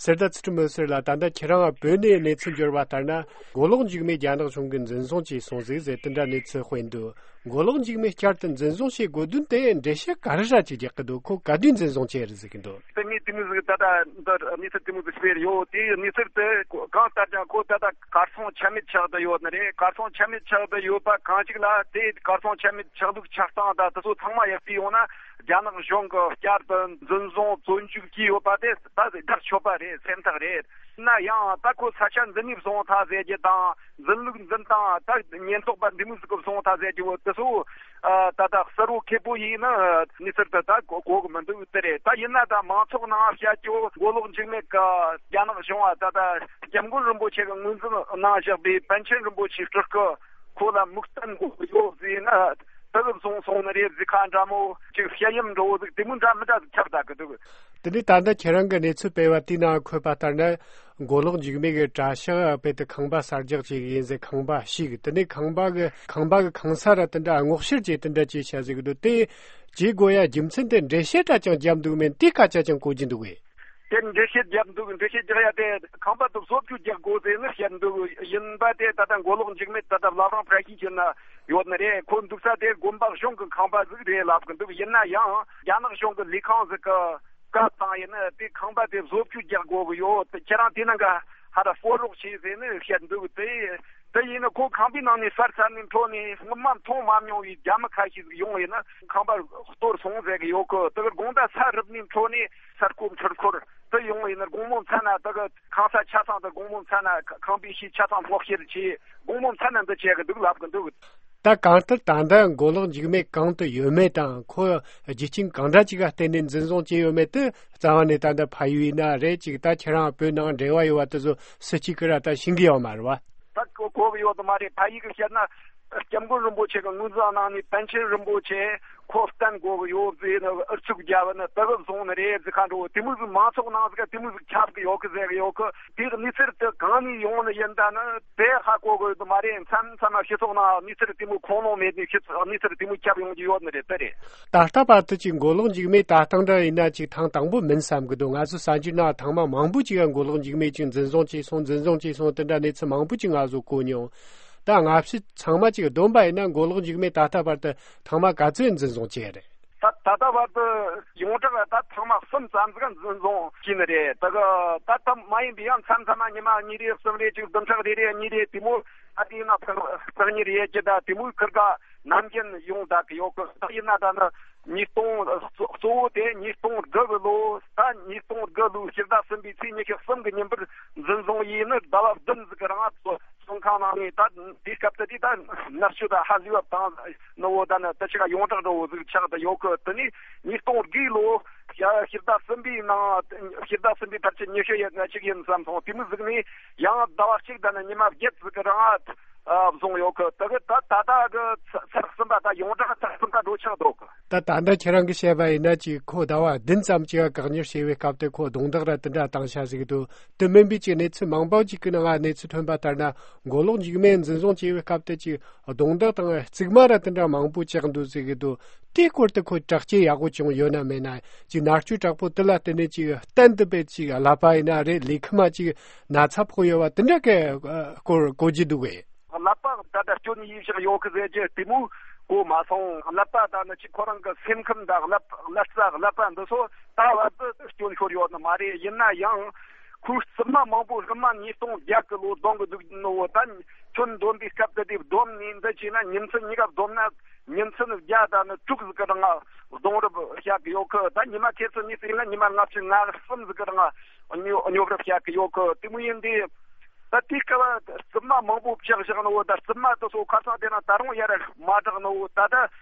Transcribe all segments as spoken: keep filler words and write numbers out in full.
གསེར་རྟ་ཚུལ་ཁྲིམས་འོད་ཟེར་ལགས། ད་ལྟ་ཁྱེད་རང་བོད་ནས་གནས་ཚུལ་འབྱོར་བ་ལྟར་ན། མགོ་ལོག་འཇིགས་མེད་རྒྱ་ནག་གཞུང་གིས་འཛིན་བཟུང་བྱས་སོང་ཟིག་ཟེར་དེ་འདྲ་གནས་ཚུལ་སྤེལ་འདུག་མགོ་ལོག་འཇིགས་མེད་བསྐྱར་དུ་འཛིན་བཟུང་བྱེད་དགོས་དོན་དེ་འགྲེལ་བཤད་ག་རེ་ར་ཅིག་རྒྱག་གི་འདུག་ཁོ་ག་དུས་འཛིན་བཟུང་བྱས་རེད་ཟེར་གི་འདུག་དེ་ངས་དེ་མོ་ཟིག་ད་ལྟ་འདི་གནས་ཚུལ་དེ་མོ་ཟིག་སྤེལ་ཡོད། དེ་གནས་ཚུལ་དེ་གང་ལྟར་ཀྱང་ཁོ་ད་ལྟ་གར་སོང་ཆ་མེད་ཆགས་བསྡད་ཡོད་ནི་རེད། གར་སོང་ཆ་མེད་ཆགས་བསྡད་ཡོད་པ་གང་ཅིག་ལ། དེ་གར་སོང་ཆ་མེད་ཆགས་ལུགས་ཆགས་སྟངས་དང་དེ་ཚོ་ཚང་མ་ཡར་བལྟས་ཡོང་ན། རྒྱ་ནག་གཞུང་གིས་བསྐྱར་དུ་འཛིན་བཟུང་བཙོན་འཇུག་བྱས་ཡོད་པ་དེ་ད་དགག་ཆོག་པ་རེད། སེམས་ཐག་རེད། ན་ཡང་ད་ཁོ་ས་ཆ་འདི་ནས་བཟུང་ཐག་ཟེར་རྒྱུ་དང་། འཛིན་ལུགས་འཛིན་སྟངས་ད་ཉེན་རྟོག་པ་འདི་མོ་ཟིག་གིས་བཟུང་ཐག་ཟེར་རྒྱུ་བོ་དེ་ཚོ་ཨ་ད་ད་གསལ་བོ་ཁེ་པོ་ཡིན་ན་གནས་ཚུལ་དེ་ད་གོ་གོ་གི་མི་འདུག་དེ་རེད། ད་ཡིན་ན་ད་མང་ཚོགས་ནང་བཤད་རྒྱུ་མགོ་ལོག་འཇིགས་མེད་ཀྱི་རྒྱ་ནག་གཞུང་བ་ད་ད་སྐྱབས་མགོན་རིན་པོ་ཆེ་གི་ངོས་འཛིན་གནང་བཞག་པའི་པཎ་ཆེན་རིན་པོ་ཆེའི་སྤྲུལ་སྐུ་ཁོ་ལ་མིག་སྟོན་དགོས་ཡོད་ཟེར་ན། དེ་གི་བཟུང་སོང་ནི་རེད་ཟེར་ཁ་འདྲ་མོ་ཅིག་བཤད་ཡམ་འགྲོ་བོ་ཟིག་དེ་མོ་འདྲ་མི་འདྲ་ཟིག་ཁྱབ་བསྡད་གི་འདུག་དེ་ནས་ད་ལྟ་ཁྱེད་རང་གི་གནས་ཚུལ་སྤེལ་བ་དེའི་ནང་འཁོད་པ་ལྟར་ན། མགོ་ལོག་འཇིགས་མེད་ཀྱི་གྲྭ་ཤག་དཔེ་དེ་ཁང་པ་གསར་རྒྱག་བྱེད་གི་ཡིན་ཟེར། ཁང་པ་ཞིག་དེ་ནས་ཁང་པ་གི་ཁང་པ་གི་ཁང་ས་ར་དེ་འདྲ་སྔོག་བཤེར་བྱས་དེ་འདྲ་བྱས་བྱ་ཟེར་གི་འདུག་དེ་བྱེད་དགོས་ཡ་རྒྱུ་མཚན་དེ་འགྲེལ་བཤད་འདྲ་ཅང་བརྒྱབ་འདུག་མེད་དེ་སྐད་ཆ་ཅང་གོ་རྒྱུ་འདུག་གས། དེར་འགྲེལ་བཤད་བརྒྱབ་འདུག་འགྲེལ་བཤད་རྒྱག་ཡ་དེ་ཁང་པ་དེ་བཟོ་བཅོས་རྒྱག་དགོས་ཟེར་ནས་བཤད་འདུག་ཡིན་པ་དེ་ད་ལྟ་མགོ་ལོག་འཇིགས་མེད་ད་ལྟ་བླ་བྲང་བཀྲ་ཤིས་འཁྱིལ་ན་ཡོད་ནི་རེད། ཁོ་འདུག་ས་དེ་དགོན་པ་གཞུང་གི་ཁང་པ་ཟིག་རེད་ལབ་གི་འདུག་ཡིན་ན་ཡང་རྒྱ་ནག་གཞུང་གི་ལས་ཁང་ཟིག་གི་བཀའ་བཏང་ཡིན་ན་དེ་ཁང་པ་དེ་བཟོ་བཅོས་རྒྱག་དགོས་གི་ཡོད། ཁྱེད་རང་དེ་ནང་ག་ཧ་ར་སྤོ་རོགས་བྱེད་ཟེར་ནས་བཤད་འདུག་དེ་དེ་ཡིན་ན་ཁོ་ཁང་པའི་ནང་ནས་གསར་ཚར་ནས་འཕྲོ་ནས་སྔོན་མ་མཐོང་མ་མྱོང་བའི་རྒྱ་མི་ཁ་ཤས་ཟིག་ཡོང་ཡིན་ན་ཁང་པ་གཏོར་སོང་ཟེར་གི་ཡོད་གི། དེ་གི་དགོང་དག་ས་རུབ་ནས་འཕྲོ་ནས་ས་རྐོ་འཕྲུལ་འཁོར་དེ་ཡོང་ཡིན་ན་དགོང་མོ་མཚན་ན་དེ་གི་ཁང་ས་ཆ་ཚང་དེ་དགོང་མོ་མཚན་ན་ཁང་པའི་ཤེད་ཆ་ཚང་སྔོག་བཤེར་བྱས། དགོང་མོ་མཚན་ན་འདི་བྱེད་གི་འདུག་ལབ་གི་འདུག་ད་གང་ལྟར་ད་ལྟ་མགོ་ལོག་འཇིགས་མེད་གང་དུ་ཡོད་མེད་དང་ཁོ་རྒྱུ་རྐྱེན་གང་འདྲ་ཅིག་ག་བརྟེན་ནས་འཛིན་བཟུང་བྱས་ཡོད་མེད་དེ་རྩ་བ་ནས་ད་ལྟ་ཕ་ཡུལ་ཡིན་ན་རེད་ཅིག་ད་ཁྱེད་རང་བོད་ནང་འབྲེལ་བ་ཡོད་པ་དེ་ཚོ་སུ་གཅིག་གིས་ར་ད་ཤེས་གི་ཡོད་མ་རེད་བ། ད་གོ་གོ་གི་ཡོད་དུ་མ་རེད། ཕ་ཡུལ་གི་བཤད་ན་སྐྱབས་མགོན་རིན་པོ་ཆེ་གི་ངོས་འཛིན་གནང་ནས་པཎ་ཆེན་རིན་པོ་ཆེ་ཁོ་བསྟེན་དགོས་གི་ཡོད་ཟེར་ནས་ཨུ་ཚུགས་རྒྱབ་ནས་དེ་གི་བཟུང་ནི་རེད་ཟེར་ཁ་འགྲོ། དེ་མོ་ཟིག་མང་ཚོགས་ནང་ཟིག་དེ་མོ་ཟིག་ཁྱབ་གི་ཡོད་གི་ཟེར་གི་ཡོད་གི། དེ་གི་གནས་ཚུལ་དེ་གང་ནས་ཡོང་ནི་ཡིན་ད་ནི་དེ་ཧ་གོ་གི་ཡོད་དུ་མ་རེད། མཚམས་མཚམས་མ་སྤྱི་ཚོགས་ནང་གནས་ཚུལ་དེ་མོ་ཁུངས་ལུང་མེད་ནས་སྤྱི་ཚོགས་གནས་ཚུལ་དེ་མོ་ཁྱབ་ཡོང་གི་ཡོད་ནི་རེད། དེ་རེད། ད་ལྟ་བར་དུ་ཅིག་མགོ་ལོག་འཇིགས་མེད་ད་ཐེངས་འདྲ་ཡིན་ན་ཅིག་ཐེངས་དང་པོ་མིན་བསམ་གི་འདུག་ང་ཚོ་གསར་འགྱུར་ནང་ཐེངས་མ་མང་པོ་ཅིག་ག་མགོ་ལོག་འཇིགས་མེད་ཅིག་འཛིན་བཟུང་བྱས་སོང་འཛིན་བཟུང་བྱས་སོང་དེ་འདྲ་གནས་ཚུལ་མང་པོ་ཅིག་ང་ཚོ་གོ་མྱོང་། ད་སྔ་ཕྱི་ཚང་མ་ཅིག་བསྡོམས་པ་ཡིན་ན་མགོ་ལོག་འཇིགས་མེད་ད་ལྟ་བར་དུ་ཐེངས་མ་ག་ཚོད་འཛིན་བཟུང་བྱས་རེད། ད་ད་ལྟ་བར་དུ་ཡོངས་གྲགས་ད་ཐེངས་མ་གསུམ་ཙམ་ཟིག་འཛིན་བཟུང་བྱས་ནི་རེད། ད་གི་ད་ད་མ་ཡིན་པའི་ཡང་མཚམས་མཚམས་མ་ཉི་མ་གཉིས་རེ་གསུམ་རེ་ཅིག་བདུན་ཕྲག་རེ་རེ་གཉིས་རེ་དེ་མོ་ཨ་དེ་ཡིན་ན་ཕག་ཕག་གཉིས་རེ་ཡས་ཀྱི་ད་དེ་མོའི་ཁུར་ག་ནམ་རྒྱུན་ཡོང་བསྡད་གི་ཡོད་གི། ད་ཡིན་ན་ད་ནི་ཉིས་སྟོང་གཙོ་བོ་དེ་ཉིས་སྟོང་དགུ་གི་ལོ་ད་ཉིས་སྟོང་དགུ་ལོའི་ཕྱི་ཟླ་གསུམ་པའི་ཚེས་ཉི་ཤུ་གསུམ་གི་ཉིན་པར་འཛིན་བཟུང་ཡས་ནི་ཟླ་བ་བདུན་ཟིག་གི་རིང་ང་བཙོན་ཁང་ནང་ནས་ད་དེའི་སྐབས་དེ་དུས་ད་མནར་གཅོད་ད་ཧ་ལས་པ་བཏང་ནི་བོ་ད་ནི་དེ་ཆ་ག་ཡོངས་གྲགས་འགྲོ་བོ་ཟིག་ཆགས་བསྡད་ཡོད་གི། དེ་ནས་ཉིས་སྟོང་དགུའི་ལོ་ཕྱི་ཟླ་གསུམ་པའི་ནང་ཕྱི་ཟླ་གསུམ་པའི་ཕལ་ཆེར་ཉི་ཤུ་ཡས་གཅིག་ཡིན་བསམ་སོང་། དེ་མོ་ཟིག་ནས་ཡང་ཟླ་བ་གཅིག་ད་ནི་ཉི་མ་བརྒྱད་ཟིག་གི་རིང་ང་ཨ་བཟུང་ཡོད་གི། དེ་གི་ད་ད་ལྟ་གི་ཚར་གསུམ་པ་ད་ཡོངས་གྲགས་ཚར་གསུམ་པ་འགྲོ་ཆགས་འདུག་གི། ད་ད་ལྟ་ཁྱེད་རང་གིས་བཤད་པ་ཡིན་ན་ཅིག་ཁོ་ཟླ་བ་བདུན་ཙམ་ཅིག་བཀག་ཉར་བྱས་པའི་སྐབས་དེ་ཁོ་རྡུང་རྡེག་ར་དེ་འདྲ་བཏང་ཤག་ཟེར་གི་འདུག་དེ་མིན་པའི་ཅིག་གནས་ཚུལ་མང་པོ་ཅིག་གི་ནང་གནས་ཚུལ་ཐོན་པ་ལྟར་ན་མགོ་ལོག་འཇིགས་མེད་འཛིན་བཟུང་བྱས་པའི་སྐབས་དེ་ཅིག་རྡུང་རྡེག་དང་གཙིགས་དམར་ར་དེ་འདྲ་མང་པོ་བཅག་འདུག་ཟེར་གི་འདུག་དེའི་སྐོར་དུ་ཁོ་དྲག་སྐྱེད་ཡག་པོ་བྱུང་ཡོད་ན་མེད་ན་ཅིག་མནར་གཅོད་དྲག་པོ་དེ་ལ་བརྟེན་ནས་ཅིག་གཏན་དུ་དཔེ་ཅིག་ཀླད་པ་ཡིན་ན་རེད་ལུས་ཁམས་ཅིག་ན་ཚ་ཕོག་ཡོད་པ་དེ་འདྲ་གི་སྐོར་གོ་རྒྱུ་འདུག་གས། ཀླད་པ་ད་ལྟ་སྐྱོན་ཡིན་ཞིག་ཡོད་གི་ཟེར་གྱི་དེ་མོ་གོ་མ་སོང་། ཀླད་པ་ད་ནི་ཅིག་ཁོ་རང་གི་སེམས་ཁམས་དང་ཀླད་ཀླད་རྩ་ཀླད་པ་འདི་ཚོ་ད་བར་དུ་སྐྱོན་ཤོར་ཡོད་ནི་མ་རེད། ཡིན་ན་ཡང་ཁོའི་རྩིབ་མ་མང་པོ་སྔོན་མ་ཉིས་སྟོང་བརྒྱད་གི་ལོ་རྡུང་གི་འདུག་ནོ་ད་ཁྱོན་བསྡོམས་པའི་སྐབས་དེ་དེ་བསྡོམས་ནས་འདི་བྱས་ན་ཉིན་མཚན་གཉིས་ཀ་བསྡོམས་ན་ཉིན་མཚན་བརྒྱ་དང་ནི་དྲུག་ཟིག་གི་རིང་རྡུང་རབས་བྱ་གི་ཡོད་གི། ད་ཉི་མ་ཁྱེད་ཚོ་གཉིས་ཟིག་ཡིན་ན་ཉི་མ་ལྔ་བཅུ་ང་གསུམ་ཟིག་གི་རིང་སྙོབ་སྙོབ་རབས་བྱ་གི་ཡོད་གི། དེ་མོ་ཡིན་དུས། ད་དེའི་སྐབས་རྩིབ་མ་མང་པོ་བཅག་བཞག་ནོ། ད་རྩིབ་མ་དེ་ཚོ་ཁ་སང་དེ་ན་ད་རུང་ཡར་མ་དྲག་ནོ། ད་ལྟ་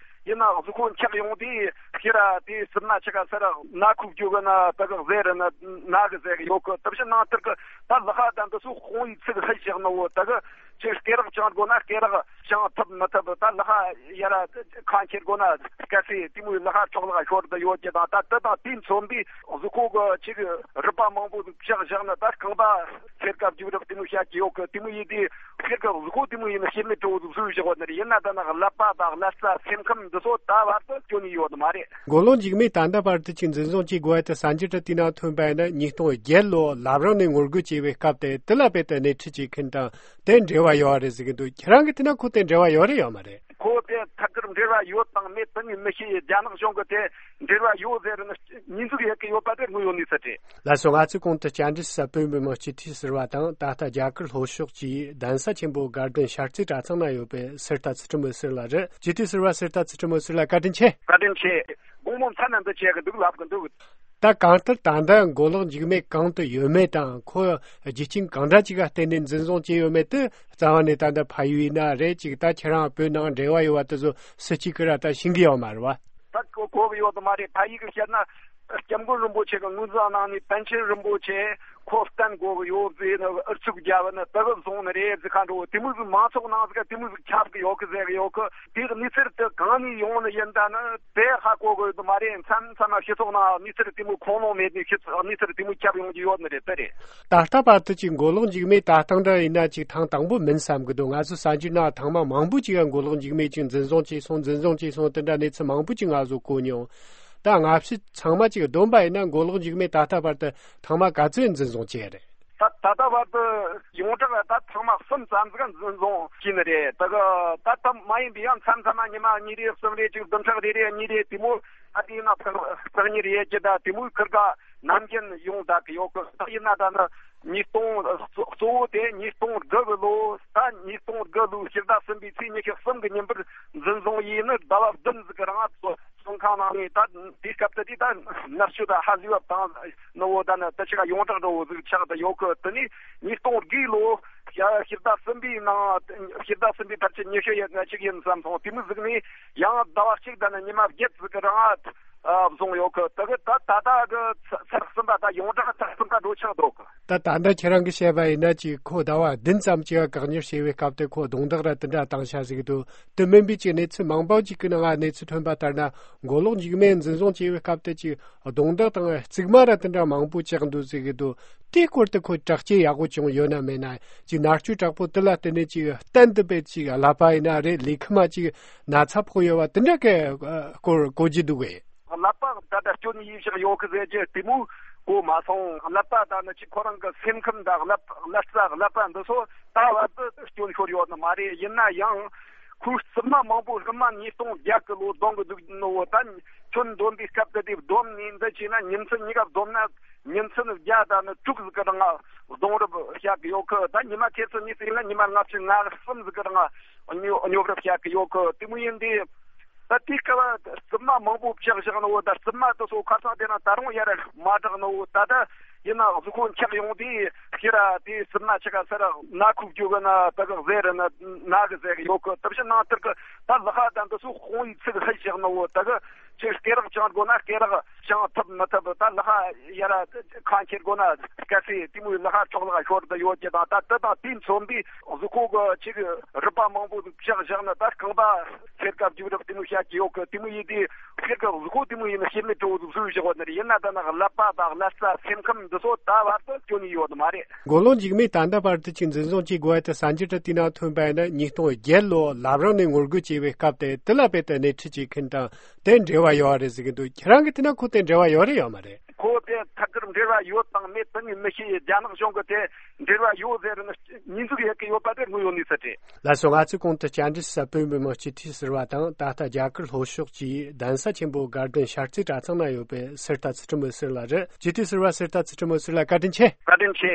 ཡིན་ན་གཟུགས་པོ་འཁྱག་ཡོང་དུས་ཤི་ར་དེའི་རྩིབ་མ་ཆེ་ག་སར་ན་ཁུག་རྒྱུ་གི་ན་ད་གི་ཟེར་ན་ན་གི་ཟེར་གི་ཡོད་གི། དེ་བཞིན་ནང་ལྟར་གི་ད་ལག་པ་དང་དེ་ཚོ་དཔུང་བའི་ཚིག་ལྷད་བཞག་ནོ། ད་གི་ཅིག་སྐེ་རགས་བཅིང་དགོས་ན་སྐེ་རགས་བཅིང་ཐུབ་མི་ཐུབ། ད་ལག་པ་ཡར་ཁ་འཁྱེར་དགོས་ན་སྐད་སྲིད་དེ་མོའི་ལག་པ་འཕྲོག་ལག་ཤོར་དུ་ཡོད་ཀྱི་དང་། ད་དེ་དང་དེ་མཚོན་པའི་གཟུགས་པོ་གི་ཅིག་རུས་པ་མང་པོ་ཟིག་བཅག་བཞག་ན་ད་རྐང་པ་འཁྱེར་སྐབས་རྒྱུག་རབས་དེ་མོ་བྱ་གི་ཡོད་གི། དེ་མོ་ཡིན་དུས། ཕྱིར་གི་གཟུགས་པོ་དེ་མོ་ཡིན་ན་ཤེས་མེད་སྤྲོ་བོ་ཟིག་བཟོས་བཞག་ཡོད་ནི་རེད། ཡིན་ན་ད་ནི་ཀླད་པ་དང་ཀླད་རྩ་སེམས་ཁམས་འདི་ཚོ་ད་བར་དུ་སྐྱོན་ནས་ཡོད་མ་རེད། མགོ་ལོག་འཇིགས་མེད་ད་ལྟ་བར་དུ་ཅིག་འཛིན་བཟུང་བྱེད་དགོས་ཡ་དེ་གསར་འགྱུར་དེ་དེའི་ནང་ཐོན་པ་ཡིན་ན་ཉིས་སྟོང་བརྒྱད་ལོ་ལབ་རང་ནས་ངོ་རྒོལ་བྱས་པའི་སྐབས་དེ་དེ་ལ་དཔེ་དེ་སྣེ་ཁྲིད་བྱེད་མཁན་དང་དེ་འབྲེལ་བ་ཡོད་རེད་ཟེར་གི་འདུག་ཁྱེད་རང་གིས་བལྟས་ན་ཁོ་དེ་འབྲེལ་བ་ཡོད་རེད་ཡོད་མ་རེད། ཁོ་དེ་ཐད་ཀར་འབྲེལ་བ་ཡོད་དང་མེད་དེ་ངས་མི་ཤེས། རྒྱ་ནག་གཞུང་གིས་དེ་འབྲེལ་བ་ཡོད་ཟེར་ནས་ཉེས་འཛུགས་ཡེད་གི་ཡོད་པ་དེ་དངོས་ཡོད་གནས་ཚུལ་རེད། ལགས་སོ། ང་ཚོས་གོང་དུ་བཅར་འདྲི་ཞུ་ས་བོད་མི་མང་སྤྱི་འཐུས་ཟུར་པ་དང་ད་ལྟ་རྒྱ་གར་ལྷོ་ཕྱོགས་ཀྱི་གདན་ས་ཆེན་པོ་དགའ་ལྡན་ཤར་རྩེ་གྲྭ་ཚང་ན་ཡོད་པའི་གསེར་རྟ་ཚུལ་ཁྲིམས་འོད་ཟེར་ལགས་རེད། སྤྱི་འཐུས་ཟུར་པ་གསེར་རྟ་ཚུལ་ཁྲིམས་འོད་ཟེར་ལགས། བཀའ་དྲིན་ཆེ། བཀའ་དྲིན་ཆེ། དགོང་མོ་མཚན་ནས་འདི་བྱེད་གི་འདུག་ལབ་གི་འདུག་ད་གང་ལྟར་ད་ལྟ་མགོ་ལོག་འཇིགས་མེད་གང་དུ་ཡོད་མེད་དང་ཁོ་རྒྱུ་རྐྱེན་གང་འདྲ་ཅིག་ག་བརྟེན་ནས་འཛིན་བཟུང་བྱས་ཡོད་མེད་དེ་རྩ་བ་ནས་ད་ལྟ་ཕ་ཡུལ་ཡིན་ན་རེད་ཅིག་ད་ཁྱེད་རང་བོད་ནང་འབྲེལ་བ་ཡོད་པ་དེ་ཚོ་སུ་གཅིག་གིས་ར་ད་ཤེས་གི་ཡོད་མ་རེད་བ། ད་གོ་གོ་གི་ཡོད་མ་རེད། ཕ་ཡུལ་གི་བཤད་ན་སྐྱབས་མགོན་རིན་པོ་ཆེ་གི་ངོས་འཛིན་གནང་ནས་པཎ་ཆེན་རིན་པོ་ཆེ་ཁོ་བསྟེན་དགོས་གི་ཡོད་ཟེར་ནས་ཨུ་ཚུགས་རྒྱབ་ནས་དེ་གི་བཟུང་ནི་རེད་ཟེར་ཁ་འགྲོ་དེ་མོ་ཟིག་མང་ཚོགས་ནང་ཟིག་དེ་མོ་ཟིག་ཁྱབ་གི་ཡོད་གི་ཟེར་གི་ཡོད་གི་དེ་གི་གནས་ཚུལ་དེ་གང་ནས་ཡོང་ནི་ཡིན་ད་ནི་དེ་ཧ་གོ་གི་ཡོད་མ་རེད། མཚམས་མཚམས་ལ་སྤྱི་ཚོགས་ནང་གནས་ཚུལ་དེ་མོ་ཁུངས་ལུང་མེད་ནས་གནས་ཚུལ་དེ་མོ་ཁྱབ་ཡོང་གི་ཡོད་ནི་རེད། དེ་རེད། ད་ལྟ་བར་དུ་ཅིག་མགོ་ལོག་འཇིགས་མེད་ད་ཐེངས་འདྲ་ཡིན་ན་ཅིག་ཐེངས་དང་པོ་མིན་བསམ་གི་འདུག་ང་ཚོ་གསར་འགྱུར་ནང་ཐེངས་མ་མང་པོ་ཅིག་ག་མགོ་ལོག་འཇིགས་མེད་ཅིག་འཛིན་བཟུང་བྱས་སོང་འཛིན་བཟུང་བྱས་སོང་དེ་འདྲ་གནས་ཚུལ་མང་པོ་ཅིག་ང་ཚོ་གོ་མྱོང་། ད་སྔ་ཕྱི་ཚང་མ་ཅིག་བསྡོམས་པ་ཡིན་ན་མགོ་ལོག་འཇིགས་མེད་ད་ལྟ་བར་དུ་ཐེངས་མ་ག་ཚོད་འཛིན་བཟུང་བྱས་རེད། ད་ད་ལྟ་བར་དུ་ཡོངས་གྲགས་ད་ཐེངས་མ་གསུམ་ཙམ་ཟིག་འཛིན་བཟུང་བྱས་ནི་རེད། ད་གི་ད་ལྟ་མ་ཡིན་པའི་ཡང་མཚམས་མཚམས་མ་ཉི་མ་གཉིས་རེ་གསུམ་རེ་ཅིག་བདུན་ཕྲག་རེ་རེ་གཉིས་རེ་དེ་མོ་ཨ་དེ་ཡིན་ན་ཕག་ཕག་གཉིས་རེ་ཡས་ཀྱི་ད་དེ་མོའི་ཁུར་ག་ནམ་རྒྱུན་ཡོང་བསྡད་ཀྱི་ཡོད་གི་ད་ཡིན་ན་ད་ནི་ཉིས་སྟོང་གཙོ་བོ་དེ་ཉིས་སྟོང་དགུ་གི་ལོ་ད་ཉིས་སྟོང་དགུ་ལོའི་ཕྱི་ཟླ་གསུམ་པའི་ཚེས་ཉི་ཤུ་གསུམ་གི་ཉིན་པར་འཛིན་བཟུང་ཡས་ནི་ཟླ་བ་བདུན་ཟིག་གི་རིང་ཚོ་བཙོན་ཁང་ནང་ནས་ད་དེའི་སྐབས་དེ་དུས་ད་མནར་གཅོད་ད་ཧ་ལས་པ་བཏང་ནི་བོ་ད་ནི་ད་ཆ་ག་ཡོངས་གྲགས་འདྲ་བོ་ཟིག་ཆགས་བསྡད་ཡོད་གི་དེ་ནས་ཉིས་སྟོང་དགུའི་ལོ་ཕྱི་ཟླ་གསུམ་པའི་ནང་ཕྱི་ཟླ་གསུམ་པའི་ཕལ་ཆེར་ཉི་ཤུ་ཡས་ང་གཅིག་ཡིན་བསམ་སོང་། དེ་མོ་ཟིག་ནས་ཡང་ཟླ་བ་གཅིག་ད་ནི་ཉི་མ་བརྒྱད་ཟིག་གི་རིང་ཨ་བཟུང་ཡོད་གི་དེ་གི་ད་ད་ལྟ་གི་ཚར་གསུམ་པ་ད་ཡོངས་གྲགས་ཚར་གསུམ་པ་འགྲོ་ཆགས་འདུག་གི་ད་ད་ལྟ་ཁྱེད་རང་གིས་བཤད་པ་ཡིན་ན་ཅིག་ཁོ་ཟླ་བ་བདུན་ཙམ་ཅིག་ག་བཀག་ཉར་བྱས་པའི་སྐབས་དེ་ཁོ་རྡུང་རྡེག་ར་དེ་འདྲ་བཏང་ཤག་ཟེར་གི་འདུག་དེ་མིན་པའི་ཅིག་གནས་ཚུལ་མང་པོ་ཅིག་གི་ནང་ང་གནས་ཚུལ་ཐོན་པ་ལྟར་ན་མགོ་ལོག་འཇིགས་མེད་འཛིན་བཟུང་བྱས་པའི་སྐབས་དེ་ཅིག་རྡུང་རྡེག་དང་རྩིག་དམར་ར་དེ་འདྲ་མང་པོ་བཅག་འདུག་ཟེར་གི་འདུག་དེའི་སྐོར་དུ་ཁོ་དྲག་སྐྱེད་ཡག་པོ་བྱུང་ཡོད་ན་མེད་ན་ཅིག་མནར་གཅོད་དྲག་པོ་དེ་ལ་བརྟེན་ནས་ཅིག་གཏན་དུ་སྦེ་ཅིག་ཀླད་པ་ཡིན་ན་རེད་ལུས་ཁམས་ཅིག་ན་ཚ་ཕོག་ཡོད་པ་དེ་འདྲ་གི་སྐོར་གོ་རྒྱུ་འདུག་གས། ཀླད་པ་ད་ལྟ་སྐྱོན་ཡིན་ཤག་ཡོད་གི་ཟེར་གྱི་དེ་མོ་གོ་མ་སོང་། ཀླད་པ་ད་ནི་ཅིག་ཁོ་རང་གི་སེམས་ཁམས་དང་ཀླད་ཀླད་རྩ་ཀླད་པ་འདི་ཚོ་ད་བར་དུ་སྐྱོན་ཤོར་ཡོད་ནི་མ་རེད། ཡིན་ན་ཡང་ཁོའི་རྩིབ་མ་མང་པོ་སྔོན་མ་ཉིས་སྟོང་བརྒྱད་གི་ལོ་བསྡོམས་གི་འདུག་ནོ་ད་ཁྱོན་བསྡོམས་པའི་སྐབས་དེ་དེ་བསྡོམས་ནས་འདི་བྱས་ན་ཉིན་མཚན་གཉིས་ཀ་བསྡོམས་ན་ཉིན་མཚན་བརྒྱ་དང་ནི་དྲུག་ཟིག་གི་རིང་ལ་སྡོང་རུབ་བྱ་གི་ཡོད་གི་ད་ཉི་མ་ཁྱེད་ཚོ་གཉིས་ཟིག་ན་ཉི་མ་ལྔ་བཅུ་ང་གསུམ་ཟིག་གི་རིང་ལ་སྙོ་སྙོབ་རུབ་བྱ་གི་ཡོད་གི་དེ་མོ་ཡིན་དུས། ད་དེའི་སྐབས་རྩིབ་མ་མང་པོ་བཅག་བཞག་ནོ་ད་རྩིབ་མ་དེ་ཚོ་ཁ་སང་དེ་རིང་ད་རུང་ཡར་མ་དྲག་ནོ་ད་ད་ཡིན་ན་གཟུགས་པོ་འཁྱག་ཡོང་དུས་ཁྱེད་ར་དེའི་རྩིབ་མ་ཆེ་ག་སར་ན་ཁུག་རྒྱུ་གི་ན་ད་གི་ཟེར་ན་ན་གི་ཟེར་གི་ཡོད་གི་དེ་བཞིན་ནང་ལྟར་གི་ད་ལག་པ་དང་དེ་ཚོ་དཔུང་ཡིག་ཚིག་ཧད་བཞག་ནོ་ད་གི་ཅིག་སྐེ་རགས་བཅིངས་དགོས་ན་སྐེ་རགས་བཅིངས་ཐུབ་མི་ཐུབ་ད་ལག་པ་ཡར་ཁ་འཁྱེར་དགོས་ན་སྐད་སྲིད་དེ་མོའི་ལག་པ་འཕྲོག་ལག་ཤོར་དུ་ཡོད་ཀྱི་དང་ད་དེ་དང་དེ་མཚོན་པའི་གཟུགས་པོ་གི་ཅིག་རུས་པ་མང་པོ་ཟིག་བཅག་བཞག་ན་ད་རྐང་པ་ཚེར་ཀ་རྒྱུག་རབས་དེ་མོ་བཤད་ཀྱི་ཡོད་གི་དེ་མོ་ཡིན་དུས་ཕྱིར་གི་གཟུགས་པོ་དེ་མོ་ཡིན་ན་ཤེས་མེད་སྤྲོ་བོ་ཟིག་བཟོས་བཞག་པ་ནི་རེད། ཡིན་ན་ད་ནི་ཀླད་པ་དང་ཀླད་རྩ་སེམས་ཁམས་འདི་ཚོ་ད་བར་དུ་སྐྱོན་ནས་ཡོད་མ་རེད། མགོ་ལོག་འཇིགས་མེད་ད་ལྟ་བར་དུ་ཅིག་འཛིན་བཟུང་བྱེད་དགོས་པ་དེ་གསར་འགྱུར་དེ་དེའི་ནང་ཐོན་པ་ཡིན་ན་ཉིས་སྟོང་བརྒྱད་ལོ་ལབ་རང་ནས་ངོ་རྒོལ་བྱས་པའི་སྐབས་དེ་དེ་ལ་དཔེ་དེ་སྣེ་ཁྲིད་བྱེད་མཁན་དང་དེ་འབྲེལ་བ་ཡོད་རེད་ཟེར་གི་འདུག་ཁྱེད་རང་གིས་བལྟས་ན་ཁོ་དེ་འབྲེལ་བ་ཡོད་རེད་ཡོད་མ་རེད། ཁོ་དེ་ཐད་ཀར་འབྲེལ་བ་ཡོད་དང་མེད་དེ་ངས་མི་ཤེས། རྒྱ་ནག་གཞུང་གིས་དེ་འབྲེལ་བ་ཡོད་ཟེར་ནས་ཉེས་འཛུགས་ཡེད་ཀྱི་ཡོད་པ་དེ་དངོས་ཡོད་གནས་ཚུལ་རེད། ལགས་སོ། ང་ཚོས་གོང་དུ་བཅར་འདྲི་ཞུ་ས་བོད་མི་མང་སྤྱི་འཐུས་ཟུར་པ་དང་ད་ལྟ་རྒྱ་གར་ལྷོ་ཕྱོགས་ཀྱི་གདན་ས་ཆེན་པོ་དགའ་ལྡན་ཤར་རྩེ་གྲྭ་ཚང་ན་ཡོད་པའི་གསེར་རྟ་ཚུལ་ཁྲིམས་འོད་ཟེར་ལགས་རེད། སྤྱི་འཐུས་ཟུར་པ་གསེར་རྟ་ཚུལ་ཁྲིམས་འོད་ཟེར་ལགས་བཀའ་དྲིན་ཆེ། བཀའ་དྲིན་ཆེ།